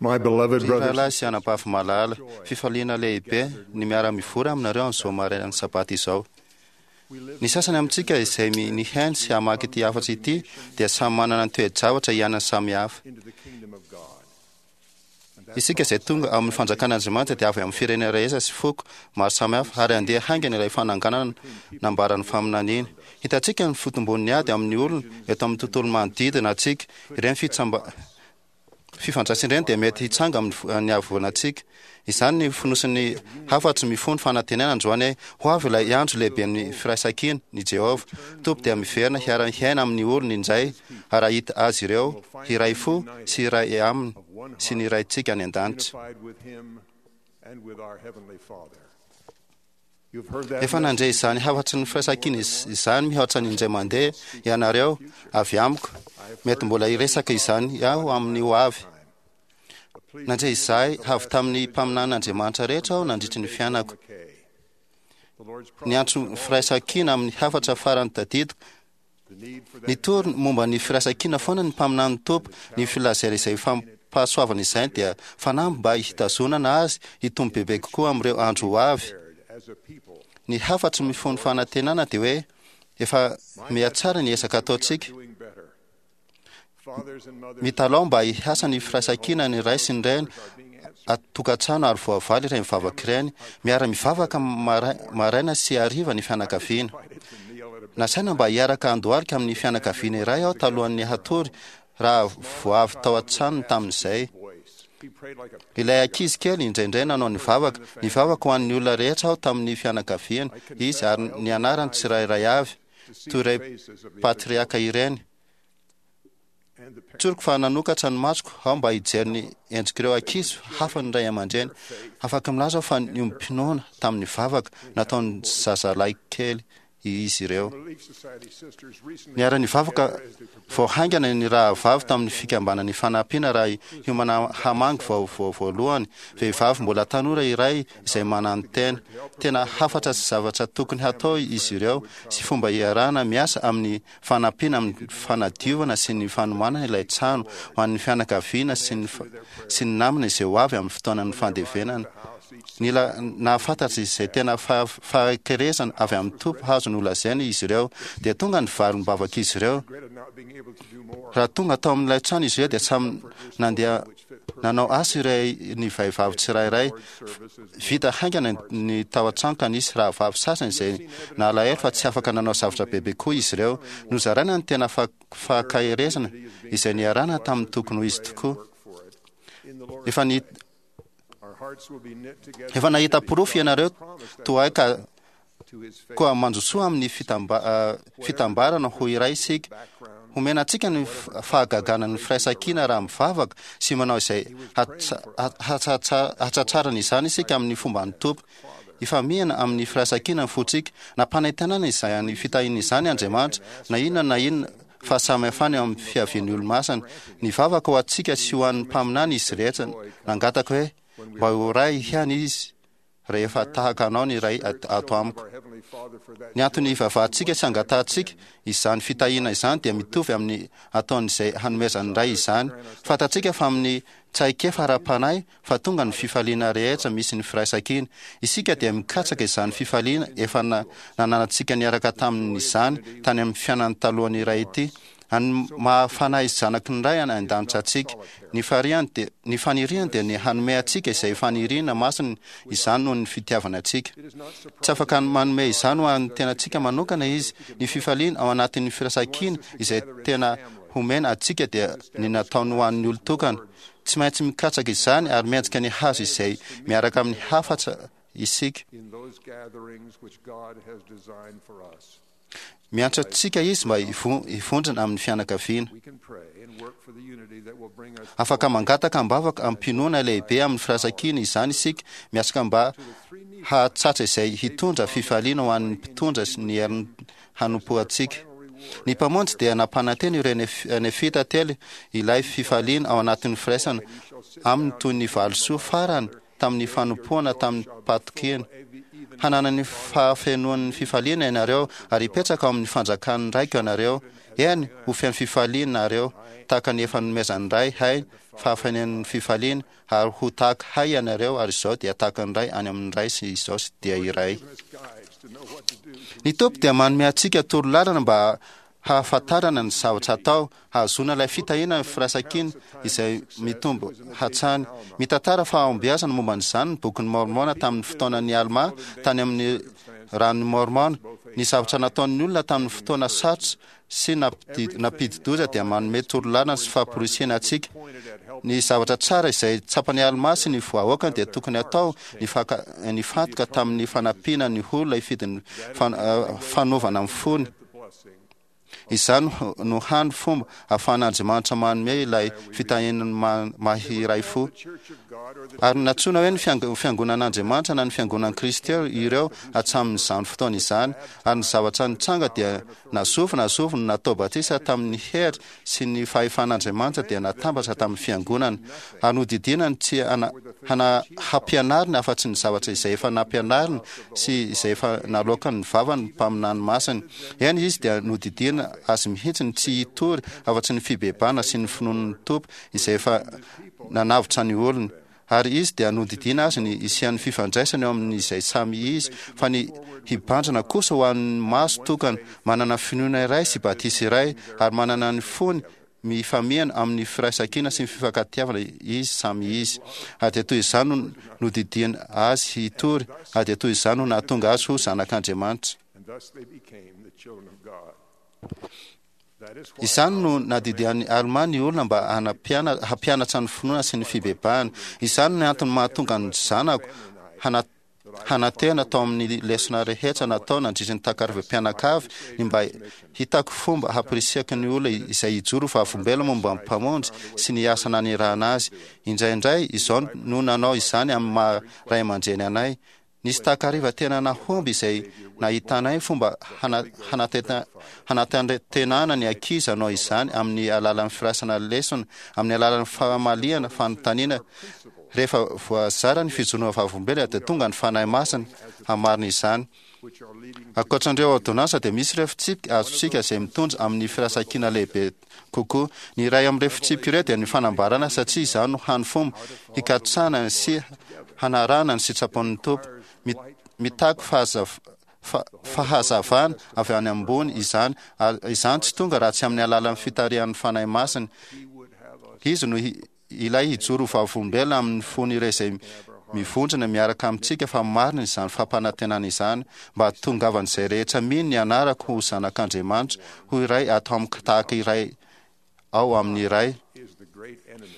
My beloved Ry brothers rahalahy sy anabavy malala, fifaliana lehibe ny miara-mivory aminareo amin'izao marainan'ny sabata izao. Ny sasany amintsika izay nihaino sy hamaky ity hafatry ity dia samy manana ny toe-javatra iainany samihafa. into the kingdom of God. Isika izay tonga amin'ny fanjakan'Andriamanitra dia avy amin'ny firenena rehetra sy foko maro samihafa ary handeha haingana ilay fananganana nambaran'ny faminaniana. Hitantsika ny fitombon'ny ady amin'ny olona eto amin'ny tontolo manodidina antsika. Ireny fitsamba fifandraisana ireny dia mety hitsanga amin'ny vo- ny havoanantsika. Izany ny fonosin'ny hafatry mifono fanantenana androany hoe ho avy ilay andro lehiben'ny firaisankina ny Jehovah. Tompo dia miverina hiara-hiaina amin'ny olony indray ary hahita azy ireo hiray fo sy hiray aminy sy ny Raintsika any an-danitra. Unified with him and with our heavenly Father. You've heard that Efa nandre izany hafatry ny firaisankina izany mihoatra ny indray mandeha ianareo avy amiko. Mety mbola hiresaka izany aho amin'ny ho avy. Nandre izay avy tamin'ny mpaminanin'Andriamanitra rehetra aho nandritry ny fiainako. McKay. The Lord's Ny antso firaisankina amin'ny hafatra farany tadidiko the need for that Nitory momba ny firaisankina foana ny mpaminan'ny Tompo. Ny filazana izay fampahasoavana izany dia fanamby mba hitazonana azy hitombo bebe kokoa amin'ireo andro ho avy. prepared as a people Ny hafatry mifono fanantenana dia hoe efa mihatsara ny ezaka ataontsika. doing better. Fathers and mothers Mitalao mba hiasa ny firaisankina ny ray sy ny reny atokantrano ary voavaly ireny mivavaka ireny. Miara-mivavaka maraina sy hariva ny fianakaviana. invited to kneel at a Nasaina mba hiaraka handohalika amin'ny fianakaviana iray aho talohan'ny hatory raha vao avy tao an-tranony tamin'izay. voice. He prayed like a Ilay ankizy kely indraindray nanao ny vavaka. Nivavaka ho an'ny olona rehetra aho tamin'ny fianakaviana izy ary ny anarany tsirairay avy, toy irey patriaka ireny. and the parents Tsoriko fa nanokatra ny masoko aho mba hijery ny endrik'ireo ankizy hafa ny ray aman-dreny. Afaka milaza aho fa niombom-pinoana tamin'ny vavaka nataon'ny zazalahy kely izy ireo. Relief Society sisters recently Niara-nivavaka vao haingana ny rahavavy tamin'ny fikambanan'ny fanampiana raha hiomana hamangy vao vao voalohany, vehivavy mbola tanora iray izay manantena. Tena hafatra sy zavatra tokony hatao izy ireo sy fomba hiarahana miasa amin'ny fanampiana amin'ny fanadiovana sy ny fanomanana ilay trano ho an'ny fianakaviana sy ny fa- sy ny namana izay ho avy amin'ny fotoanan'ny fandevenana. Nila nahafantatra izay tena fahakerezana avy amin'ny Tompo hazo nolazaina izy ireo, dia tonga ny valim-bavaka izy ireo. regretted not being able to do more. Raha tonga tao amin'ilay trano izy ireo dia samy nandeha nanao asa iray ny vehivavy tsirairay. Vita haingana ny tao an-trano ka nisy rahavavy sasany izay nalahelo fa tsy afaka nanao zavatra bebe koa izy ireo. Nozaraina ny tena fahakerezana izay niarahana tamin'ny tokony ho izy tokoa. Work for it. In the Lord's Efa ny our hearts will be knit together efa nahita porofo ianareo toa ahy ka to his faith koa mandrosoa amin'ny fitambarana ho iray isika. background Homena antsika ny fahagagana ny firaisankina raha mivavaka sy manao izay hatsatsarana izany isika amin'ny fomban'ny Tompo. Ifamihana amin'ny firaisankina ny fontsika. Nampanantenana izany fitahiana izany Andriamanitra, na inona na inona fahasamihafana eo amin'ny fiavian'ny olo-masina. Nivavaka ho antsika sy ho an'ny mpaminany izy rehetra. Nangataka hoe mba ho ray ihany izy rehefa tahaka anao ny ray ato amiko. our heavenly Father for that Ny antony ivavahantsika sy angatahantsika izany fitahiana izany dia mitovy amin'ny ataon'izay hanomezan'ny ray izany. Fantatsika fa amin'ny traikefa ara-panahy fa tonga ny fifaliana rehetra misy ny firaisankina. Isika dia mikatsaka izany fifaliana efa nananantsika niaraka tamin'izany tany amin'ny fiainany talohan'ny ray ity. Any mahafanahy zanaky ny ray any an-danitra antsika. Ny fariany dia ny faniriany dia ny hanome antsika izay faniriana masina izany noho ny fitiavana antsika. Tsy afaka manome izany ho an'ny tenantsika manokana izy. Ny fifaliana ao anatin'ny firaisankina izay tena homena antsika dia ny nataony ho an'ny olon-tokana. Tsy maintsy mikatsaka izany ary miendrika ny hazo izay miaraka amin'ny hafatra isika. in those gatherings which God has designed for us. Miantso antsika izy mba hivondrona amin'ny fianakaviana. We can pray and work for the unity that will bring us Afaka mangataka am-bavaka am-pinoana lehibe amin'ny firaisankina izany isika, miasaka mba hahatsatra izay hitondra fifaliana ho an'ny mpitondra sy ny herin'ny hanompoantsika. Ny mpamonjy dia nampanantena ireo nefita telo ilay fifaliana ao anatin'ny firaisana aminy toy ny valisoa farany tamin'ny fanompoana tamin'ny mpatokiana. hanana ny fahafenoan'ny fifaliana ianareo, ary hipetraka ao amin'ny fanjakan'ny Raiko ianareo. Eny, ho feno fifaliana nareo, tahaka ny efa nomezan'ny Ray hay fahafenoan'ny fifaliana, ary ho tahaka hay ianareo, ary izao dia tahaka ny Ray any amin'ny Ray sy izao dia iray. Ny Tompo dia manome antsika torolalana mba hahafantarana ny zavatra atao, hahazoana ilay fitahiana ny firaisankina izay mitombo hatrany. Mitantara fahombiazana momba an'izany ny Bokin'i Môrmôna tamin'ny fotoanan'i Almà tany amin'ny ranon'i Môrmôna. Ny zavatra nataon'ny olona tamin'ny fotoana sarotra sy nampidi-doza dia manome torolalana sy famporisihana antsika. Ny zavatra tsara izay tsapan'i Almà sy ny vahoakany dia tokony hatao nifantoka tamin'ny fanampiana ny olona hifidy ny fanovana ny fony. Izany no hany fomba ahafahan'Andriamanitra manome ilay fitahiany maha-iray fo. Ary nantsoina hoe ny Fiangonan'Andriamanitra na ny Fiangonan'i Kristy ireo hatramin'izany fotoana izany. Ary ny zavatra nitranga dia na zovy na zovy no natao batisa tamin'ny hery sy ny fahefan'Andriamanitra dia natambatra tamin'ny Fiangonana. Ary nodidiana ny tsy hampianariny afa-tsy ny zavatra izay efa nampianariny sy izay efa naloakan' ny vavany ny mpaminany masiny. Eny, izy dia nodidiana azy mihitsy ny tsy hitory afa-tsy ny fibebahana sy ny finoan' ny Tompo izay efa nanavotra ny olony. Ary izy dia nodidiana azy ny hisian' ny fifandraisana eo amin' izay samy izy, fa ny hibanjina kosa ho an' ny maso tokana, manana finoana iray sy batisa iray, ary manana ny fony mifamihana amin'ny firaisankina sy ny fifankatiavana izy samy izy. Ary dia toy izany no nodidiany azy hitory, ary dia toy izany no nahatonga azy ho zanak'Andriamanitra. Izany no nadidian'i Almà ny olona mba hampianatra ny finoana sy ny fibebahana. Izany no antony mahatonga ny zanako hanantena tao amin'ny lesona rehetra natao nandritry ny takarivam-pianakavy ny mba hitako fomba hampirisihako ny olona izay hijoro ho vavolombelona momba ny Mpamonjy sy ny asa nanirahana azy. Indraindray izao no nanao izany amin'ny maha ray aman-dreny anay. Nisy takariva tena nahomby izay nahitanay fomba hanatanterahana ny ankizy hanao izany amin'ny alalan'ny firaisana lesona, amin'ny alalan'ny famaliana fanontaniana Rehefa voazara ny fijoroana vavolombelona dia tonga ny Fanahy Masina hamarina izany. Ankoatra an'ireo ôrdônansa dia misy ireo fitsipika azontsika izay mitondra amin'ny firaisankina lehibe kokoa. Ny iray amin'ireo fitsipika ireo dia ny fanambarana satria izany no hany fomba hikatsahana sy hanarahana ny sitrapon'ny Tompo. Mitaky fahazavana avy any ambony izany, ary izany tsy tonga raha tsy amin'ny alalan'ny fitarihan'ny Fanahy Masina. Izy no Ilay hijoro ho vavolombelona amin'ny fon'ireo izay mivondrona miaraka amintsika fa marina izany fampanantenana izany, mba hahatongavan'izay rehetra mino ny anarako ho zanak'Andriamanitra, ho iray ato amiko tahaka iray ao amin'ny Ray.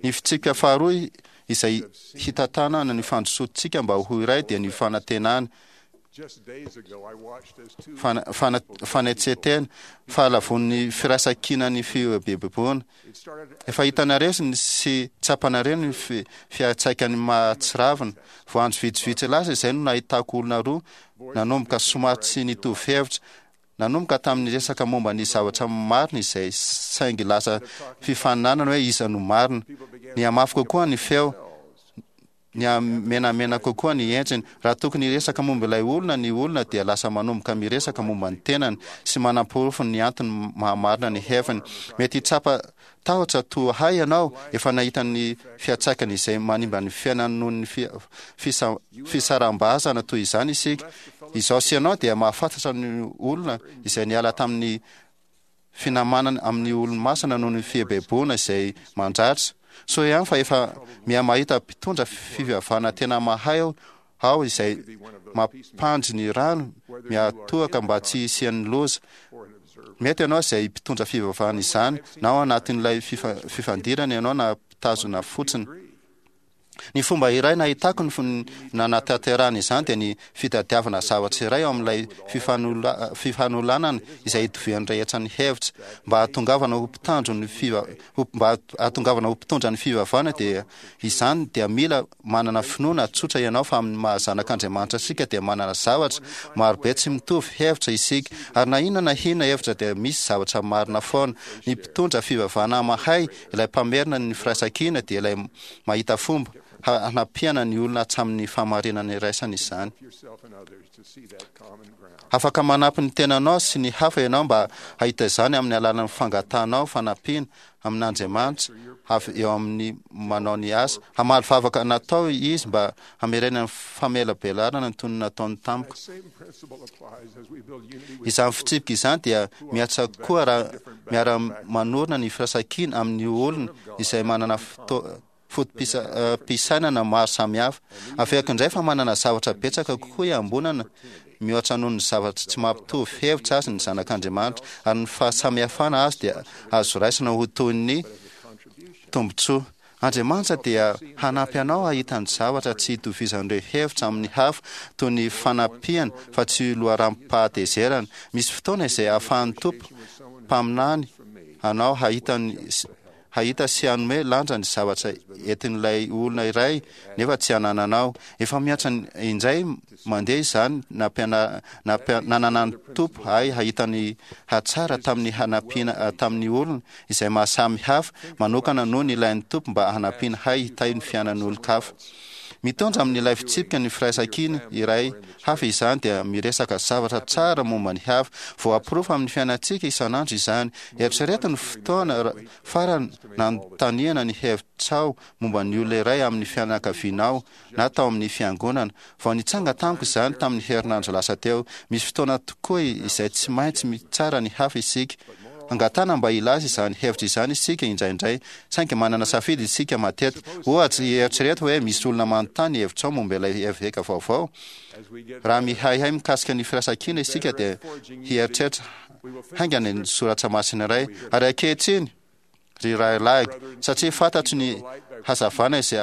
Ny fitsipika faharoa izay hitantanana ny fandrosoantsika mba ho iray dia ny fanantenana. Fanetsen-tena, fahalavoan'ny firaisankinan'ny fihoebeboana. Efa hitanareo sy tsapanareo ny fiantraikany mahatsiravina. Vao andro vitsivitsy lasa izay no nahitako olona roa nanomboka somary tsy nitovy hevitra. Nanomboka tamin'ny resaka momba ny zavatra marina izay saingy lasa fifaninanana hoe iza no marina. Nihamafy kokoa ny feo. Nihamenamena kokoa ny endriny. Raha tokony hiresaka momba ilay olona ny olona dia lasa manomboka miresaka momba ny tenany sy manamporofo ny antony maha-marina ny heviny. Mety hitsapa tahotra toa ahy ianao efa nahita ny fiantraikany izay manimba ny fiainany noho ny fisaraham-bazana toy izany isika. Izaho sy ianao dia mahafantatra ny olona izay niala tamin'ny finamanana amin'ny olo-masina noho ny fieboeboana izay mandratra. Soa ihany fa efa miha-mahita mpitondra fivavahana tena mahay aho izay mampandry ny rano miatoaka mba tsy hisian'ny loza. Mety ianao izay mpitondra fivavahana izany, na ao anatin'ilay fifandirana ianao na mpitazona fotsiny. Ny fomba iray nahitako ny nanatanterahana izany dia ny fitadiavana zavatra iray ao amin'ilay fifanolanana izay itovian'ny rehetra ny hevitra. Mba hahatongavana ho mpitandro ny mba hahatongavana ho mpitondra ny fivavahana dia izany dia mila manana finoana tsotra ianao fa amin'ny maha zanak'Andriamanitra antsika dia manana zavatra marobe tsy mitovy hevitra isika ary na inona na inona hevitra dia misy zavatra marina foana. Ny mpitondra fivavahana mahay, ilay mpamerina ny firaisankina dia ilay mahita fomba. hanampiana ny olona hatramin'ny fahamarinana iraisana izany. Afaka manampy ny tenanao sy ny hafa ianao mba hahita izany amin'ny alalan'ny fangatahanao fanampiana amin'Andriamanitra avy eo amin'ny manao ny asa. Hamaly vavaka natao Izy mba hamerenany famelabelarana ny toy ny nataony tamiko. Izany fitsipika izany dia mihatra koa raha miara-manorina ny firaisankina amin'ny olona izay manana foto-pisainana maro samihafa. Averiko indray fa manana zavatra betsaka kokoa iambonana mihoatra noho ny zavatra tsy mampitovy hevitra azy ny zanak'Andriamanitra, ary ny fahasamihafana azy dia azo raisina ho toy ny tombontsoa. Andriamanitra dia hanampy anao hahita ny zavatra tsy itovizan'ireo hevitra amin'ny hafa, toy ny fanampiana fa tsy loharanom-pahatezerana. Misy fotoana izay ahafahan'ny Tompo mpaminany anao hahita ny hahita sy hanome lanja ny zavatra entin'ilay olona iray nefa tsy anananao. Efa mihatra indray mandeha izany nananan'ny Tompo ahy hahita ny hatsara tamin'ny hanampiana tamin'ny olona izay mahasamy hafa manokana noho ny ilain'ny Tompo mba hanampiana hay hitahy ny fiainan'olon-kafa. Mitondra amin'ilay fitsipika ny firaisankina iray hafa izany dia miresaka zavatra tsara momba ny hafa. Voaporofo amin'ny fiainantsika isan'andro izany. Eritrereto ny fotoana farany nanontaniana ny hevitrao momba ny olona iray amin'ny fianakavianao na tao amin'ny fiangonana. Vao nitsanga tamiko izany tamin'ny herinandro lasa teo. Misy fotoana tokoa izay tsy maintsy mitsara ny hafa isika. Angatahana mba hilaza izany hevitra izany isika indraindray, saingy manana safidy isika matetika. Ohatra, eritrereto hoe misy olona manontany ny hevitrao momba ilay eveka vaovao. Raha mihaihay mikasika ny firaisankina isika dia hieritreritra haingana ny soratra masina iray. Ary ankehitriny, ry rahalahiko, satria fantatro ny hazavana izay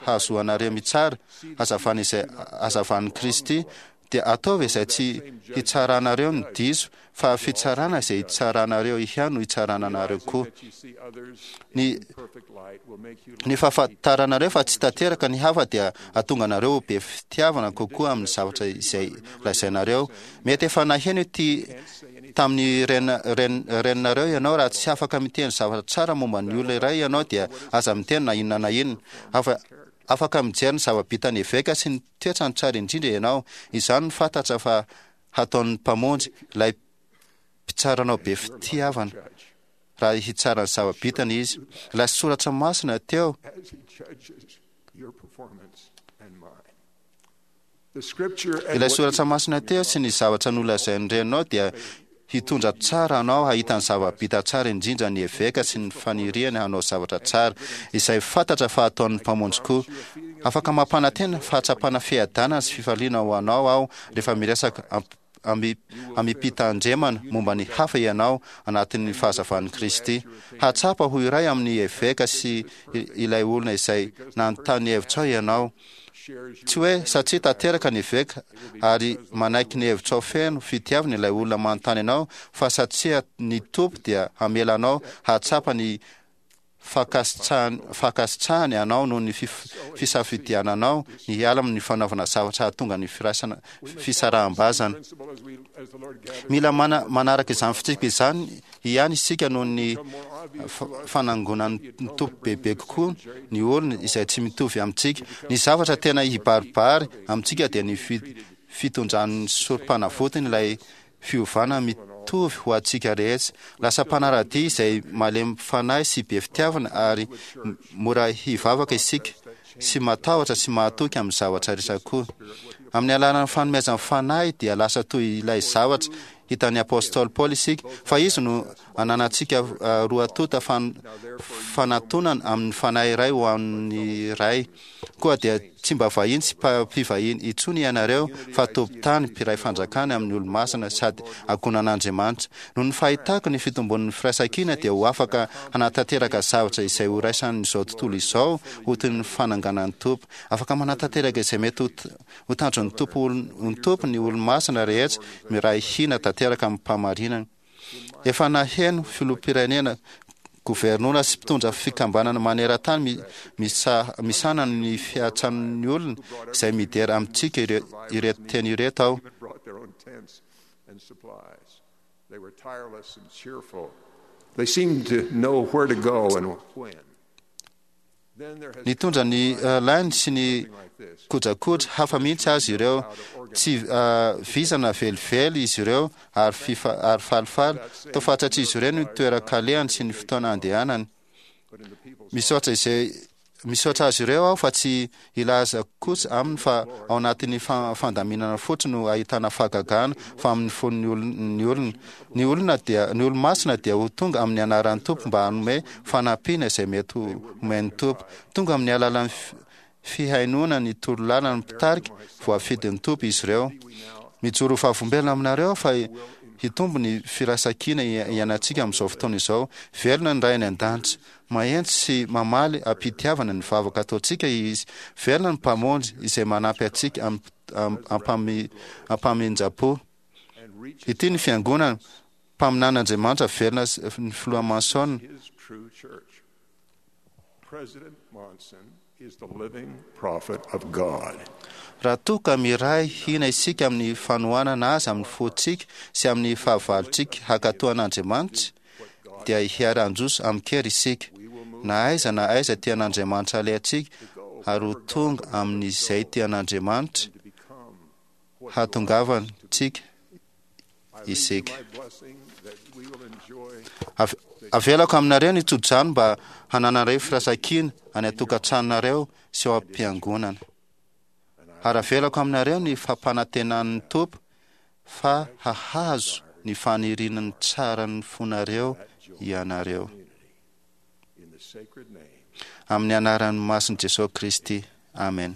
hahazoanareo mitsara, hazavana izay hazavan'i Kristy, dia ataovy izay tsy hitsaranareo ny diso, fa fitsarana izay hitsaranareo ihany no hitsarana anareo koa. Ny, ny fahafantaranareo fa tsy tanteraka ny hafa dia hahatonga anareo ho be fitiavana kokoa amin'ny zavatra izay lazainareo. Mety efa naheno ity tamin'ny reninareo ianao, raha tsy afaka miteny zavatra tsara momba ny olona iray ianao dia aza miteny na inona na inona. Afaka mijery ny zava-bitan'ny eveka sy ny toetrany tsara indrindra ianao. Izany no fantatra fa hataon'ny Mpamonjy, ilay Mpitsaranao be fitiavana, raha hitsara ny zava-bitany Izy. Ilay soratra masina teo Ilay soratra masina teo sy ny zavatra nolazain'ny reninao dia hitondra tsara anao hahita ny zava-bita tsara indrindra ny eveka sy ny faniriany hanao zavatra tsara, izay fantatra fa hataon'ny Mpamonjy koa. Afaka mampanantena fahatsapana fiadanana sy fifaliana ho anao aho rehefa miresaka amim-pitandremana momba ny hafa ianao anatin'ny fahazavan'i Kristy. Hahatsapa ho iray amin'ny eveka sy ilay olona izay nanontany hevitrao ianao. Tsy hoe satria tanteraka ny eveka ary manaiky ny hevitrao feno fitiavana ilay olona manontany anao fa satria ny Tompo dia hamela anao hahatsapa ny fankasitrahany anao noho ny fisafidiananao ny hiala amin'ny fanaovana zavatra hahatonga ny firaisana fisaraham-bazana. Mila manaraka izany fitsipika izany ihany isika noho ny fanangonan'ny Tompo bebe kokoa ny olona izay tsy mitovy amintsika. Ny zavatra tena hibaribary amintsika dia ny fitondran'ny sorom-panavotany ilay fiovana mitovy ho antsika rehetra. Lasa mpanara-dia izay malemy fanahy sy be fitiavana ary mora hivavaka isika, sy matahotra sy mahatoky amin'ny zavatra rehetra koa. Amin'ny alalan'ny fanomezan'ny Fanahy dia lasa toy ilay zavatra hitan'ny apostoly Paoly isika, fa izy no ananantsika roa tonta fanatonana amin'ny Fanahy iray ho an'ny Ray. Koa dia tsy mba vahiny sy mpivahiny intsony ianareo, fa tompon-tany, mpiray fanjakana amin'ny olo-masina sady ankohonan'Andriamanitra. Noho ny fahitako ny fitombon'ny firaisankina dia ho afaka hanatanteraka zavatra izay ho raisan'izao tontolo izao ho toy ny fananganan'ny Tompo. Afaka manatanteraka izay mety ho tanjon'ny Tompo ny Tompo ny olo-masina rehetra miray hina tanteraka amim-pahamarinana. Efa naheno filoham-pirenena, governora sy mpitondra fikambanana maneran-tany misahana ny fiantsan'ny olona izay midera amintsika ireto teny ireto aho. Nitondra ny lainy sy ny kojakoja hafa mihitsy azy ireo. Tsy vizana velively izy ireo ary ary falifaly. Toa fantatr'izy ireo ny toeran-kalehany sy ny fotoana andehanany. Misaotra izay misaotra azy ireo aho fa tsy hilaza kosa aminy fa ao anatin'ny fandaminana fotsiny no ahitana fahagagana fa amin'ny fon'ny olona ny olona. Ny olona dia ny olo-masina dia ho tonga amin'ny anaran'ny Tompo mba hanome fanampiana izay mety ho omen'ny Tompo. Tonga amin'ny alalan'ny fihainoana ny torolalan'ny mpitarika voafidin'ny Tompo izy ireo. Mijoro ho vavolombelona aminareo aho fa hitombo ny firaisankina iainantsika amin'izao fotoana izao. Velona ny Ray any an-danitra. Maheno sy mamaly am-pitiavana ny vavaka ataontsika Izy. Velona ny Mpamonjy izay manampy antsika am-pamindrapo. Ity ny Fiangonana. Mpaminan'Andriamanitra velona ny Filoha Monson. Raha toa ka miray hina isika amin'ny fanohanana Azy amin'ny fontsika sy amin'ny fahavalontsika hankatò an'Andriamanitra, dia hiara-handroso amin-kery isika, na aiza na aiza tian'Andriamanitra alehantsika, ary ho tonga amin'izay tian'Andriamanitra hahatongavantsika isika. Avelako aminareo ny tsodrano mba hananareo firaisankina any an-tokantranonareo sy ao am-piangonana. Ary avelako aminareo ny fampanantenan'ny Tompo fa hahazo ny fanirian'ny tsaran'ny fonareo ianareo. Amin'ny anaran'ny masin'i Jesosy Kristy. Amen.